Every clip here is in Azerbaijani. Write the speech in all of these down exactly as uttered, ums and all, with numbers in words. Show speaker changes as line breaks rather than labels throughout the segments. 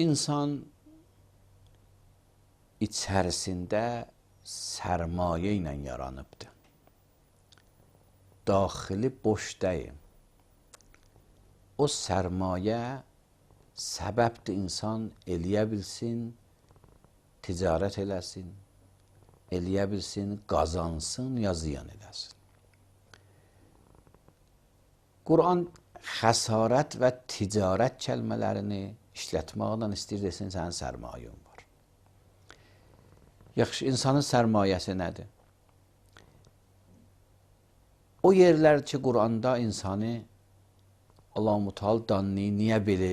İnsan içərisində sərmayə ilə yaranıbdır. Daxili boş deyil. O sərmayə səbəbdir insan eləyə bilsin, ticarət eləsin, eləyə bilsin, qazansın, ya ziyan eləsin. Quran xəsarət və ticarət kəlmələrini işlətməklə istəyir desin, sənin sərmayən var. Yaxşı, insanın sərmayəsi nədir? O yerlər ki, Quranda insanı Allah-u Teala danını niyə belə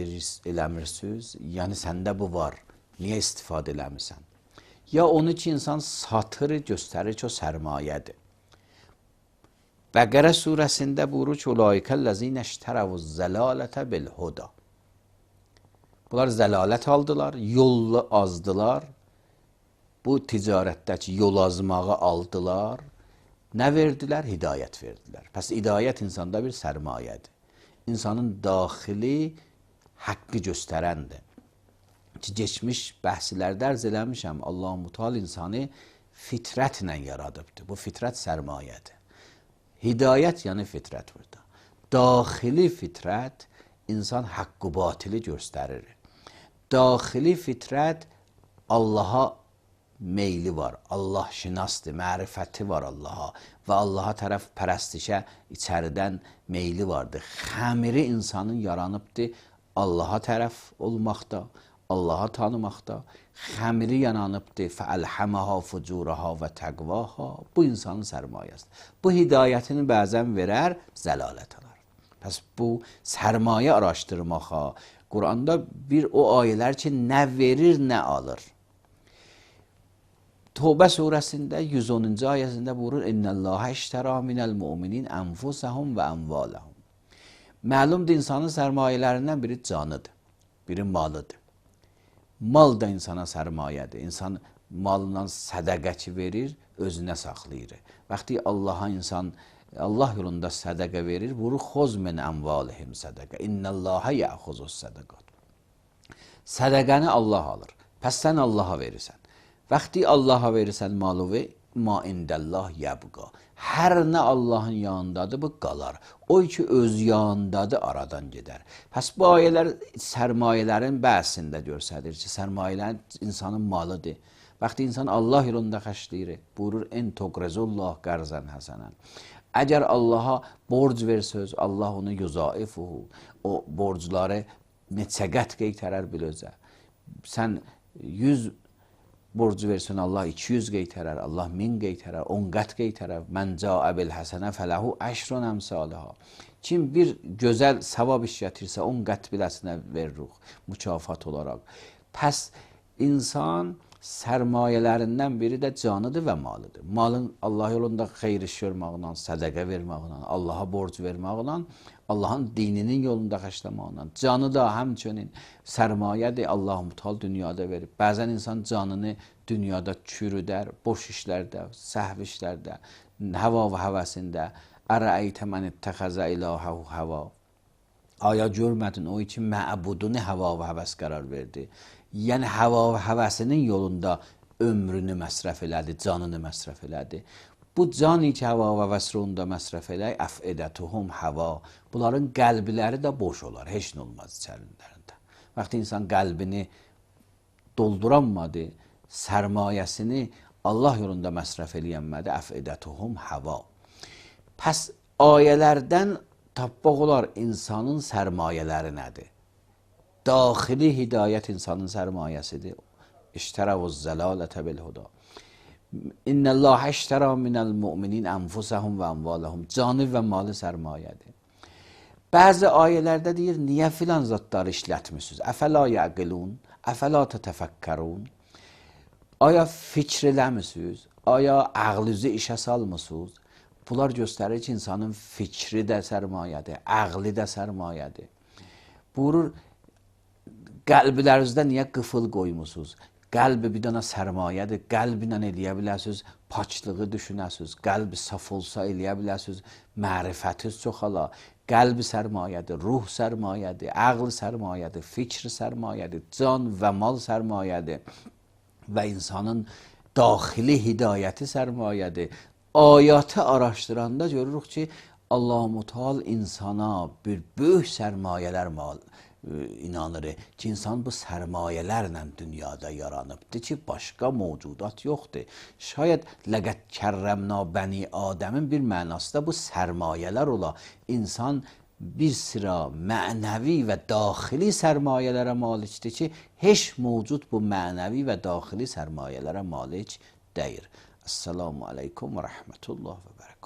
eləmirsiniz? Yəni, səndə bu var, niyə istifadə eləmirsən? Ya onu ki, insan satır, göstərir ki, o sərmayədir. Bəqərə surəsində buyurur ki, Ulaikəl-ləzinə iştərəvuz-zəlalətə bil-huda. Bunlar zəlalət aldılar, yolu azdılar. Bu ticarətdəki yol azmağı aldılar. Nə verdilər? Hidayət verdilər. Pəs hidayət insanda bir sərmayədir. İnsanın daxili haqqı göstərəndir. Ki, geçmiş bəhslərdə ərz eləmişəm, Allah-u Teala insanı fitrətlə yaradıbdır. Bu fitrət sərmayədir. Hidayət yəni fitrət burada. Daxili fitrət insan haqqı batili göstərir. Daxili fitrət Allaha meyli var, Allah şinasdır, mərifəti var Allaha və Allaha tərəf pərəstişə içəridən meyli vardır. Xəmiri insanın yaranıbdır Allaha tərəf olmaqda, Allaha tanımaqda. Xəmiri yananıbdır fəəlhəməha fucuraha və təqvaha. Bu insanın sərmayəsidir. Bu hidayətini bəzən verər, zəlalət alar. Pəs bu sərmayə araşdırmağa, Quranda bir o ayələr ki, nə verir, nə alır. Tövbə surəsində yüz onuncu ayəsində buyurur: İnnəllâhə iştərâ minəl mu'minin ənfusəhum və əmvaləhum. Məlumdur, insanın sərmayələrindən biri canıdır, biri malıdır. Mal da insana sərmayədir. İnsan malından sədəqəçi verir, özünə saxlayır. Vaxtı Allaha insan Allah yolunda sədəqə verir, buyurur: Xoz min əmvalihim sədəqə. İnnəllâhə yəxuzus sədəqat. Sədəqəni Allah alır. Pəs sən Allaha verirsən. Vaxtı Allaha verirsən malı və ma indəllah yəbqa. Hər nə Allahın yanındadır, bu qalar. O ki, öz yanındadır, aradan gedər. Pəs bu ayələr sərmayələrin bəhsində görsədir ki, sərmayələrin insanın malıdır. Vaxtı insan Allah yolunda xərcləyir, buyurur: En toqrezullah qərzən həsənən. Əgər Allaha borc versəz, Allah onu yüzaifuhu, o borcları neçə qət qeytərər biləcə. Sən yüz borcu versin, Allah iki yüz qeytərər, Allah min qeytərər, on qət qeytərər. Mən cəə bil həsənə fələhu əşrun əmsalihə. Kim bir gözəl savab iş gətirsə, on qət biləsinə veririk mükafat olaraq. Pəs insan sərmayələrindən biri də canıdır və malıdır. Malın Allah yolunda xeyir iş görməklə, sədəqə verməklə, Allaha borc verməklə, Allahın dininin yolunda xərcləməklə. Canı da həmçinin sərmayədir, Allah-u Teala dünyada verib. Bəzən insan canını dünyada çürüdər, boş işlərdə, səhv işlərdə, həva və həvəsində. Ərəəytə mən ittəxəzə ilahəhu həva. Aya görmədin o için məbudunu həva və həvəs qərar verdi. Yəni həva və həvəsinin yolunda ömrünü məsrəf elədi, canını məsrəf elədi. Bu cani ki, həva və vəsrunda məsrəf elək, əfədətuhum həva. Bunların qəlbləri də boş olar, heç nə olmaz içərilərində. Vaxtı insan qəlbini dolduranmadı, sərmayəsini Allah yolunda məsrəf eləyənmədi, əfədətuhum həva. Pəs ayələrdən tapmaq olar insanın sərmayələri nədir? Daxili hidayət insanın sərmayəsidir. İştərəvuz zəlalətə bil-huda. İnnəllâhə iştərə minəl mu'minin ənfusəhum və əmvaləhum. Canı və malı sərmayədir. Bəzi ayələrdə deyir, niyə filan zatları işlətmişsiniz? Əfəla yəqilun, əfəla tətəfəkkərun. Aya fikr eləmişsiniz? Aya ağlınızı işə salmışsınız? Bunlar göstərir ki, insanın fikri də sərmayədir, ağlı da sərmayədir. Buyurur, qəlblərinizdə niyə qıfıl qoymusunuz? Qəlbi bir dənə sərmayədir, qəlblə eləyə bilərsiniz, paçlığı düşünəsiniz, qəlbi saf olsa eləyə bilərsiniz, mərifətiniz çoxala. Qəlb sərmayədir, ruh sərmayədir, əql sərmayədir, fikr sərmayədir, can və mal sərmayədir və insanın daxili hidayəti sərmayədir. Ayatı araşdıranda görürük ki, Allah-u Müteal insana bir böyük sərmayələr mal inanır ki, insan bu sərmayələrlə dünyada yaranıbdır ki, başqa mövcudat yoxdur. Şayət ləqəd kərrəmna bəni Adəmin bir mənası da bu sərmayələr ola. İnsan bir sıra mənəvi və daxili sərmayələrə malikdir ki, heç mövcud bu mənəvi və daxili sərmayələrə malik deyir. Esselamu aleykum və rəhmətullah və bərəkət.